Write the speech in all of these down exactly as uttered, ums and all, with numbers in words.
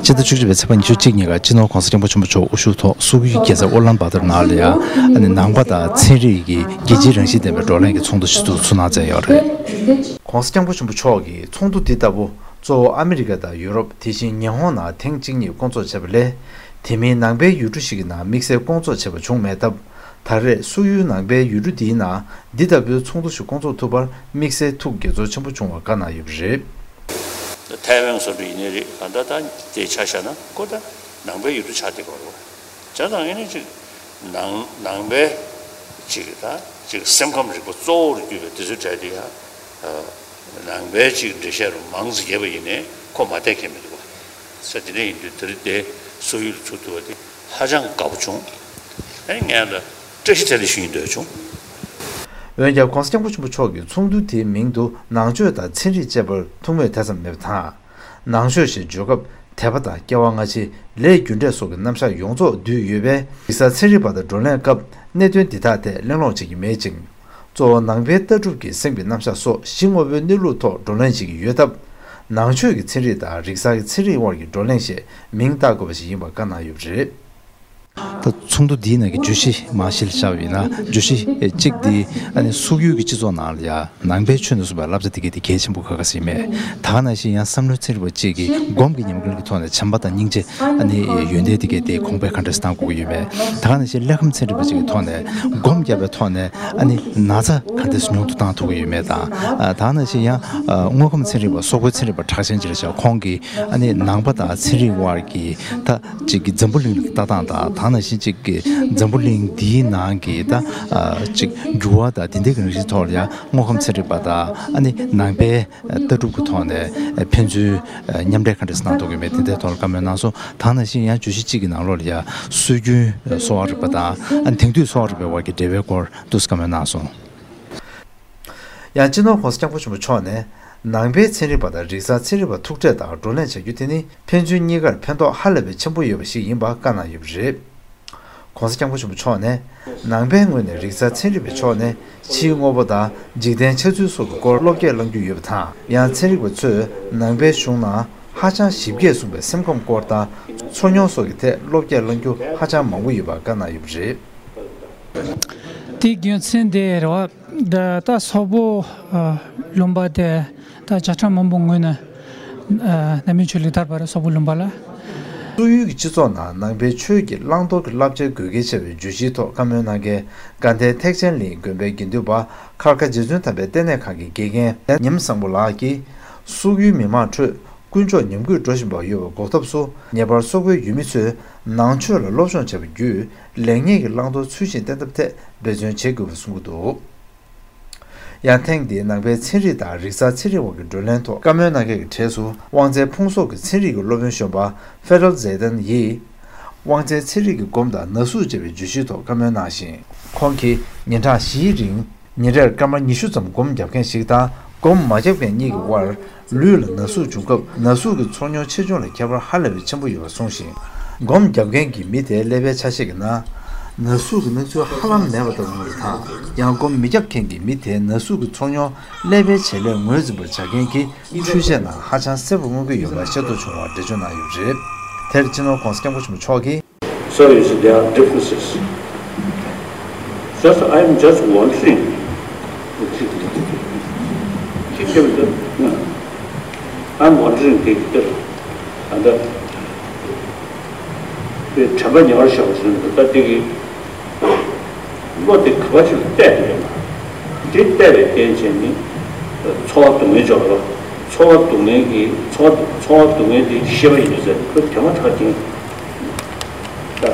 ཕྱི་ཟླ་བཅུ་གཅིག་པའི་ཚེས་པ་ཉི་ཤུ་གཅིག་ཉིན་ཀ་སྤྱི་ནོར་༸གོང་ས་༸སྐྱབས་མགོན་ཆེན་པོ་མཆོག་དབུ་བཞུགས་ཐོག་སོག་ཡུལ་རྒྱལ་ས་ཨོ་ལན་སྦ་ཏར་ནང་ལ་ཡང་ཨ་ནི་ནང་པ་དང་ཚན་རིག་གི་རྒྱལ་སྤྱིའི་རང་བཞིན་ལྡན་པའི་བགྲོ་གླེང་གི་ཚོགས་འདུ་ཞིག་ཏུ་ཚུགས་གནང་མཛད་ཡོད་རེད། ༸གོང་ས་༸སྐྱབས་མགོན་ཆེན་པོ་མཆོག་གིས་ཚོགས་འདུ་འདི་ལྟ་བུ་གཙོ་བོ་ཨ་མི་རི་ཀ་དང་ཡུ་རོབ། དེ་བཞིན་ཉི་ཧོང་ནང་ཐེངས་གཅིག་གཉིས་བསྐོང་ཚོགས་བྱས་པ་ལས། དེ་མིན་ནང་པའི་ཡུལ་གྲུ་ཞིག་གི་ནང་དམིགས་བསལ་བསྐོང་ཚོགས་བྱས་པ་བྱུང་མེད་སྟབས། ད་རེས་སོག་ཡུལ་ནང་པའི་ཡུལ་གྲུ་འདིའི་ནང་འདི་ལྟ་བུའི་ཚོགས་འདུ་ཞིག་བསྐོང་ཚོགས་ཐུབ་པར་དམིགས་བསལ་ཐུགས་དགྱེས་ཚོར་ཆེན་པོ་བྱུང་བ་བཀའ་གནང་ཡོད་པ་རེད། ཐའེ་ཝན་སོགས་ཡིན་ནའི་རེད། གང་ལྟར་ད་དེ་ཆ་བཞག་ན་ཁོ་ད་ནང་པའི་ཡུལ་གྲུ་ཆགས་བསྡད་ཡོད་རེད། བྱས་ཙང་ཨ་ནི་ཅིག་ནང་ནང་པའི་ཅིག་ད་ཅིག་སེམས་ཁམས་རིག་པ་གཙོ་བོར་གྱུར་པའི་དེ་ཚོའི་གྲས་དེ་ཡང་ནང་པའི་ཅིག་འགྲེལ་བཤད་རུ་མང་ཙམ་རྒྱབ་པ་ཡིན་ནའི་ཁོ་མ་བསྡད་མཁན་མི་འདུག་བ། ས་དེ་འདྲ་ཡིན་དུས་དེ་རིང་དེ་སོག་ཡུལ་ལ་ཚུགས་ཐུབ་པ་དེ་ཧ་ཅང་དགའ་པོ་བྱུང་། ཨ་ནི་ངས་ལ་བཀྲ་ཤིས་བདེ་ལེགས་ཞུ་ཡིན་འདོད་བྱུང་། འོན་ཀྱང་༸གོང་ས་༸སྐྱབས་མགོན་ཆེན་པོ་མཆོག་གིས་ཚོགས་འདུ་དེའི་མིང་དུ་ནང་ཆོས་དང་ཚན་རིག་ཅེས་པར་ཐུགས་མོས་དེ་ཙམ་མེད་པ་དང་། ནང་ཆོས་ཞེས་བརྗོད་སྐབས་དད་པ་དང་སྐྱེ་བ་སྔ་ཕྱི། ལས་རྒྱུ་འབྲས་སོགས་ཀྱི་རྣམ་གཞག་ཡོངས་རྫོགས་འདུས་ཡོད་པས། རིག་གསར་ཚན་རིག་པ་དང་བགྲོ་གླེང་སྐབས་གནད་དོན་འདི་དག་ཐད་གླེང་སློང་བྱེད་ཀྱི་མེད་ཅིང་། གཙོ་བོ་ནང་པའི་ལྟ་གྲུབ་ཀྱི་སེམས་ཀྱི་རྣམ་གཞག་སོགས་གཞི་དངོས་པོའི་གནས་ལུགས་ཐོག་བགྲོ་གླེང་བྱེད་ཀྱི་ཡོད་སྟབས། ནང་ཆོས་ཀྱི་ཚན་རིག་དང་རིག་གསར་གྱི་ཚན་རིག་དབར་གྱི་བགྲོ་གླེང་ཞེས་མིང་བཏགས་དགོས་པ་ཞིག་ཡིན་པ་བཀའ་གནང་ཡོད་པ་རེད། ད་ཚོགས་འདུ་འདིའི་ནང་གི་བརྗོད་གཞི་མར་གཞི་ལ་བཞག་པ་ཡིན་ན། བརྗོད་གཞི་གཅིག་འདི་ཨ་ནི་སོག་ཡུལ་གྱི་སྤྱི་ཚོགས་ནང་ལ་ཡང་ནང་པའི་ཆོས་ནས་གསུངས་པའི་བསླབ་བྱ་འདི་གའི་དེ་གལ་ཆེན་པོ་ཁ་ཁ་ཟིག་མེད། ད་ག་ནང་བཞིན་ཡང་བསམ་བློའི་ཚན་རིག་པ་གཅིག་གིས་སྒོམ་གྱི་ཉམས་ལེན་གྱི་ཐོག་ནས་བྱམས་པ་དང་སྙིང་རྗེ་ཨ་ནི་ཡོན་ཏན་འདི་གའི་དེ་གོང་འཕེལ་ག་འདྲ་སེ་གཏང་དགོས་ཀྱི་ཡོད་མེད། ད་ག་ནང་བཞིན་ཀླད་ཁམས་ཚན་རིག་པ་གཅིག་གི་ཐོག་ནས་སྒོམ་བརྒྱབ་པའི་ཐོག་ནས་ཨ་ནི་ན་ཚ་ག་འདྲ་སེ་ཉུང་དུ་བཏང་ཐུབ་ཀྱི་ཡོད་མེད་དང་། ད་ག་ནང་བཞིན་ཡང་དངོས་ཁམས་ཚན་རིག་པ་སོག་པོའི་ཚན་རིག་པ་གྲགས་ཅན་ཅིག་ལ་བཞག་ཁོང་གིས་ཨ་ནི་ནང་པ་དང་ཚན་རིག་དབར་གྱི་ད་ཅིག་གི་འཛམ་བུ་གླིང་ལ་ལྟ་སྟངས་དང་། ད་ག་ནང་བཞིན་ཅིག་གི་འཛམ་བུ་གླིང་འདིའི་ནང་གི་ད་ཅིག་འགྱུར་བ་དང་དེ་འདྲའི་གི་རིགས་ཐོག་ལ་ཡང་དངོས་ཁམས་ཚན་རིག་པ་དང་ཨ་ནི་ནང་པའི་ལྟ་གྲུབ་ཀྱི་ཐོག་ནས་ཕན་ཚུན་མཉམ་འབྲེལ་ག་འདྲ་སེ་གནང་ཐུབ་ཀྱི་མེད། དེ་འདྲའི་ཐོག་ལ་བཀའ་མོལ་གནང་སོང་། ད་ག་ནང་བཞིན་ཡང་བརྗོད་གཞི་གཅིག་གི་ནང་ལོགས་ལ་ཡང་སྲོལ་རྒྱུན་གསོ་བ་རིག་པ་དང་ཨ་ནི་དེང་དུས་གསོ་བ་རིག་པའི་དབར་གྱི་འབྲེལ་བའི་སྐོར་འདུག་སེ་བཀའ་མོལ་གནང་སོང་། ཡང་སྤྱི་ནོར་༸གོང་ས་༸སྐྱབས་མགོན་ཆེན་པོ་མཆོག་ནས་ནང་པའི་ཚན་རིག་པ་དང་རིག་གསར་ཚན་རིག་པ་ཐུག་འཕྲད་དང་བགྲོ་གླེང་བྱ་རྒྱུ་དེ་ནི་ཕན་ཚུན་གཉིས་ཀར་ཕན་ཐོགས་ཧ་ལས་པའི་ཆེན་པོ་ཡོད་པ་ཞིག་ཡིན་པ་བཀའ་གནང་ཡོད་པ་རེད། ༸གོང་ས་༸སྐྱབས་མགོན་ཆེན་པོ་མཆོག་ནས་ནང་པའི་ངོས་ནས་རིག་གསར་ཚན་རིག་པའི་ཕྱོགས་ནས་ཕྱིའི་དངོས་པོ་དང་འཇིག་རྟེན་འཆར་ཚུལ་སོགས་ཀྱི་སྐོར་བློ་སྐྱེད་གནང་རྒྱུ་ཡོད་པ་དང་། ཡང་ཚན་རིག་པ་ཚོས་ནང་པའི་གཞུང་ནང་ཧ་ཅང་ཞིབ་རྒྱས་གསུངས་པའི་སེམས་ཁམས་སྐོར་དང་ཚོར་མྱོང་སོགས་ཀྱི་ཐད་བློ་སྐྱེད་གནང་རྒྱུ་ཧ་ཅང་མང་པོ་ཡོད་པ་བཀའ་གནང་ཡོད་པ་རེད། དེའི་རྒྱུ་མཚན་དེ་རེད་བ། ད་ད་སོག་པོ་ཨ་ལུང་པ་དེ་ད་བྱ་ཁྲ་མང་པོ་ངོས་ནས་ཨ་ནང་པའི་ཆོས་ལུགས་དར་བ་རེད། སོག་པོ་ལུང་པ་ལ། སོག་ཡུལ་གྱི་སྤྱི་ཚོགས་ནང་ནང་པའི་ཆོས་ཀྱི་བླང་དོར་གྱི་བསླབ་བྱ་དགོས་གལ་ཆེ་བའི་བརྗོད་གཞིའི་ཐོག་བཀའ་མོལ་གནང་མཁན་དགའ་ལྡན་ཐེག་ཆེན་གླིང་དགོན་པའི་དགེ་འདུན་པ་མཁར་དཀར་རྗེ་བཙུན་དམ་པའི་ལྟེ་གནས་ཁང་གི་དགེ་རྒན་ཉི་མ་བཟང་པོ་ལགས་ཀྱིས། སོག་ཡུལ་མི་མང་ཁྲོད་ཀུན་སྤྱོད་ཉམས་རྒུད་འགྲོ་བཞིན་པ་ཡོད་པ་འགོག་ཐབས་སུ། ངེས་པར་སོག་པོའི་ཡུལ་མི་ཚོས་ནང་ཆོས་ལ་སློབ་སྦྱོང་བྱས་པ་བརྒྱུད་ལེགས་ཉེས་ཀྱི་བླང་དོར་ཚུལ་བཞིན་བསྟེན་ཐབས་ཐད་འབད་བརྩོན་བྱེད་དགོས་པ་གསུངས་ཀྱི་འདུག་ཡང་ཐེངས་འདིའི་ནང་པའི་ཚན་རིག་དང་རིག་གསར་ཚན་རིག་དབར་གྱི་བགྲོ་གླེང་ཐོག་བཀའ་མོལ་གནང་མཁན་གྱི་གྲས་སུ་དབང་རྩའི་ཕུང་གསོག་གི་ཚན་རིག་གི་སློབ་དཔོན་གཞོན་པ་ཧྥེ་རལ་ཛེ་ཏན་ཡིས། དབང་རྩའི་ཚན་རིག་གི་སྒོམ་དང་ན་ཟུག་ཅེས་པའི་བརྗོད་གཞིའི་ཐོག་བཀའ་མོལ་གནང་ཞིང་། ཁོང་གིས་ཉིན་གྲངས་བཞིའི་རིང་ཉིན་རེར་སྐར་མ་ཉི་ཤུ་ཙམ་སྒོམ་རྒྱབ་མཁན་ཞིག་དང་སྒོམ་མ་རྒྱབ་མཁན་གཉིས་ཀྱི་དབར་ལུས་ལ་ན་ཟུག་བྱུང་སྐབས་ན་ཟུག་གི་ཚོར་མྱོང་ཆེ་ཆུང་ལ་ཁྱད་པར་ཧ་ལས་པའི་ཆེན་པོ་ཡོད་པ་གསུངས་ཤིང་། སྒོམ་རྒྱབ་མཁན་གྱི་མི་དེའི་ཀླད་པའི་ཆ་ཤས་ཀྱི་ནང་ན་ཟུག་གི་སྣང་ཚུལ་ཧ་ལམ་མེད་པ་ལྟ་བུ་མངོན་པ་དང་། ཡང་སྒོམ་མི་རྒྱབ་མཁན་གྱི་མི་དེའི་ན་ཟུག་གི་ཚོར་མྱོང་ཀླད་པའི་བྱེད་ལས་ངོས་འཛིན་པར་བྱ་མཁན་གྱི་འཕྲུལ་ཆས་ནང་ཧ་ཅང་གསལ་པོ་མངོན་གྱི་ཡོད་པ་ཤེས་རྟོགས་བྱུང་བར་འགྲེལ་བརྗོད་གནང་ཡོད་པ་རེད། དེར་སྤྱི་ནོར་༸གོང་ས་༸སྐྱབས་མགོན་ཆེན་པོ་མཆོག་གིས། So you see, there are differences. Just, I am just wondering. I'm wondering, དེ་དེར་ཨ་ད་དེ་དྲན་པ་ཉེ་བར་བཞག་པ་ཞིག་ད་དེ་གི་བློ་དེ་ག་པར་ཞིག་ལ་གཏད་དེ་ཡོད་ན། དེ་གཏད་པའི་རྐྱེན་བྱས་ནས་ཚོར་བ་སྡུག་བསྔལ་འཇོག་པ། ཚོར་བ་སྡུག་བསྔལ་གྱི་ཚོར་ཚོར་བ་སྡུག་བསྔལ་དེ་ཤེས་པ་ཡིན་ཟེར་ཁོས་དེ་མ་ཐག་ཅིང་ད་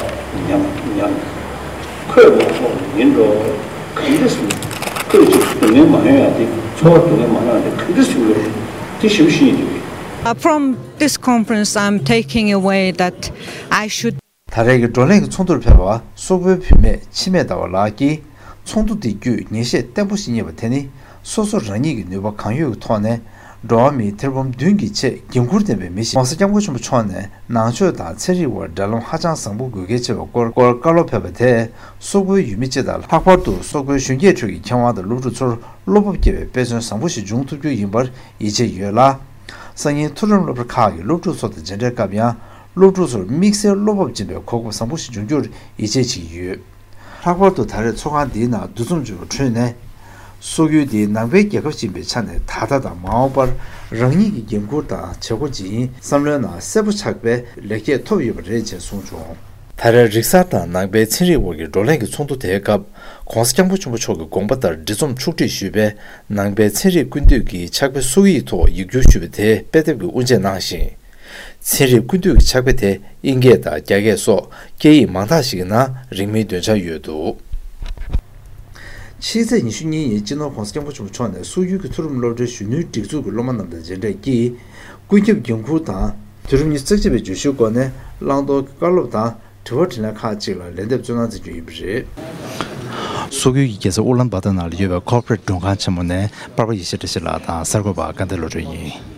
ཉམས་ཉམས། ཁོས་མ་ཐོག་ཡིན་འགྲོ། ག་འདྲ་སེ་ཁོས་ཅིག་སྡུག་བསྔལ་མ་ཡོང་ཡ་དེ་ཚོར་བ་སྡུག་བསྔལ་མ་ཡོང་ཡ་དེ་ག་འདྲ་སེ་ཡོང་གི་རེད། དེ་ཞིབ་ཤེས་ཡིན་དུས། Uh, from this conference, I'm taking away that I should ད་རེས་ཀྱི་བགྲོ་གླེང་གི་ཚོགས་འདུར་ཕེབས་པ་སོག་པོའི་བུད་མེད་འཆི་མེད་ཟླ་བ་ལགས་ཀྱིས། ཚོགས་འདུ་འདི་བརྒྱུད་ངེས་ཤེས་བརྟན་པོ་ཞིག་རྙེད་པ་དེ་ནི་སོ་སོ་རང་ཉིད་ཀྱི་ནུས་པ་གང་ཡོད་ཀྱི་ཐོག་ནས་འགྲོ་བ་མིའི་ཐེར་འབུམ་བདུན་གྱི་ཆེད་འགན་འཁུར་ལྡན་པའི་མི་ཞིག ༸གོང་ས་༸སྐྱབས་མགོན་ཆེན་པོ་མཆོག་ནས་ནང་ཆོས་དང་ཚན་རིག་དབར་འབྲེལ་ལམ་ཧ་ཅང་བཟང་པོ་དགོས་གལ་ཆེ་བའི་སྐོར་སྐོར་བཀའ་སློབ་ཕེབས་པ་དེས་སོག་པོའི་ཡུལ་མི་སྤྱི་དང་ལྷག་པར་དུ་སོག་པོའི་གཞོན་སྐྱེས་ཁྲོད་ཀྱི་མཁས་དབང་དང་སློབ་ཕྲུག་ཚོར་བློ་སྤོབས་སྐྱེ་བའི་དཔེ་མཚོན་བཟང་པོ་ཞིག་འབྱུང་ཐུབ་རྒྱུ་ཡིན་པར་ཡིད་ཆེས་ཡོད་ལ། སང་ཉིན་མཐོ་རིམ་སློབ་གྲྭ་ཁག་གི་སློབ་ཕྲུག་ཚོ་དང་མཇལ་འཕྲད་སྐབས་ཡང་ སློབ་ཕྲུག་ཚོར་དམིགས་བསལ་བློ་སྤོབས་སྦྱིན་པའི་གོ་སྐབས་བཟང་པོ་ཞིག་འབྱུང་རྒྱུར་ཡིད་ཆེས་བྱེད་ཀྱི་ཡོད། ལྷག་པར་དུ་ད་རེས་ཚོགས་ཁང་འདིའི་ནང་འདུ་འཛོམས་བྱུང་བའི་ཁྲོད་ནས། སོག་ཡུལ་འདི་ནང་པའི་རྒྱལ་ཁབ་ཅིག་ཡིན་པའི་ཆ་ནས་ད་ལྟ་དང་མ་འོངས་པར་རང་ཉིད་ཀྱི་འགན་འཁུར་དང་བྱེད་སྒོ་ཇི་ཡིན་བསམ་བློའི་ནང་གསལ་པོ་ཆགས་པའི་ལེགས་སྐྱེས་ཐོབ་ཡོད་པ་རེད་ཅེས་གསུངས་བྱུང་། ད་རེས་རིག་གསར་དང་ནང་པའི་ཚན་རིག་དབར་གྱི་བགྲོ་གླེང་གི་ཚོགས་འདུ་དེའི་སྐབས། ༸གོང་ས་༸སྐྱབས་མགོན་ཆེན་པོ་མཆོག་གི་དགོངས་པ་ལྟར་འབྲི་རྩོམ་ཕྱོགས་སྒྲིག་ཞུས་པའི་ནང་པའི་ཚན་རིག་ཀུན་བཏུས་ཀྱི་ཕྱག་དཔེ་སོག་ཡིག་ཐོག་ཡིག་སྒྱུར་ཞུས་པ་དེ་དཔེ་དེབ་ཀྱི་དབུ་འབྱེད་གནང་ཞིང་། ཚན་རིག་ཀུན་བཏུས་ཀྱི་ཕྱག་དཔེ་དེ་ཨིན་སྐད་དང་རྒྱ་སྐད་སོགས་སྐད་ཡིག་མང་དག་ཞིག་གི་ནང་རིང་མིན་འདོན་འཆར་ཡོད་འདུག་ཕྱི་ཚེས་ཉི་ཤུ་གཉིས་ཉིན་སྤྱི་ནོར་༸གོང་ས་༸སྐྱབས་མགོན་ཆེན་པོ་མཆོག་ནས་སོག་ཡུལ་གྱི་མཐོ་རིམ་སློབ་གྲྭའི་གཞོན་ནུའི་སྒྲིག་འཛུགས་ཀྱི་སློབ་མ་རྣམས་དང་མཇལ་འཕྲད་ཀྱིས། ཀུན་ཁྱབ་འགན་འཁུར་དང་། དུས་རབས་ཉི་ཤུ་རྩ་གཅིག་པའི་བརྗོད་གཞིའི་སྒོ་ནས་བླང་དོར་གྱི་བཀའ་སློབ་དང་། དྲི་བ་དྲིས་ལན་ཁག་ཅིག་ལ་ལན་འདེབས་སྩོལ་གནང་མཛད་རྒྱུ་ཡིན་པ་རེད། སོག་ཡུལ་གྱི་རྒྱལ་ས་ཨུ་ལན་བྷ་ཏར་ནང་ལ་ཡོད་པའི་ཁོར་པོ་རེ་ཊི་མགྲོན་ཁང་ཆེན་མོ་ནས་པར་པ་ཡེ་ཤེས་བཀྲ་ཤིས་ལགས་དང་གསར་འགོད་པ་སྐལ་ལྡན་བློ་གྲོས་ཡིན།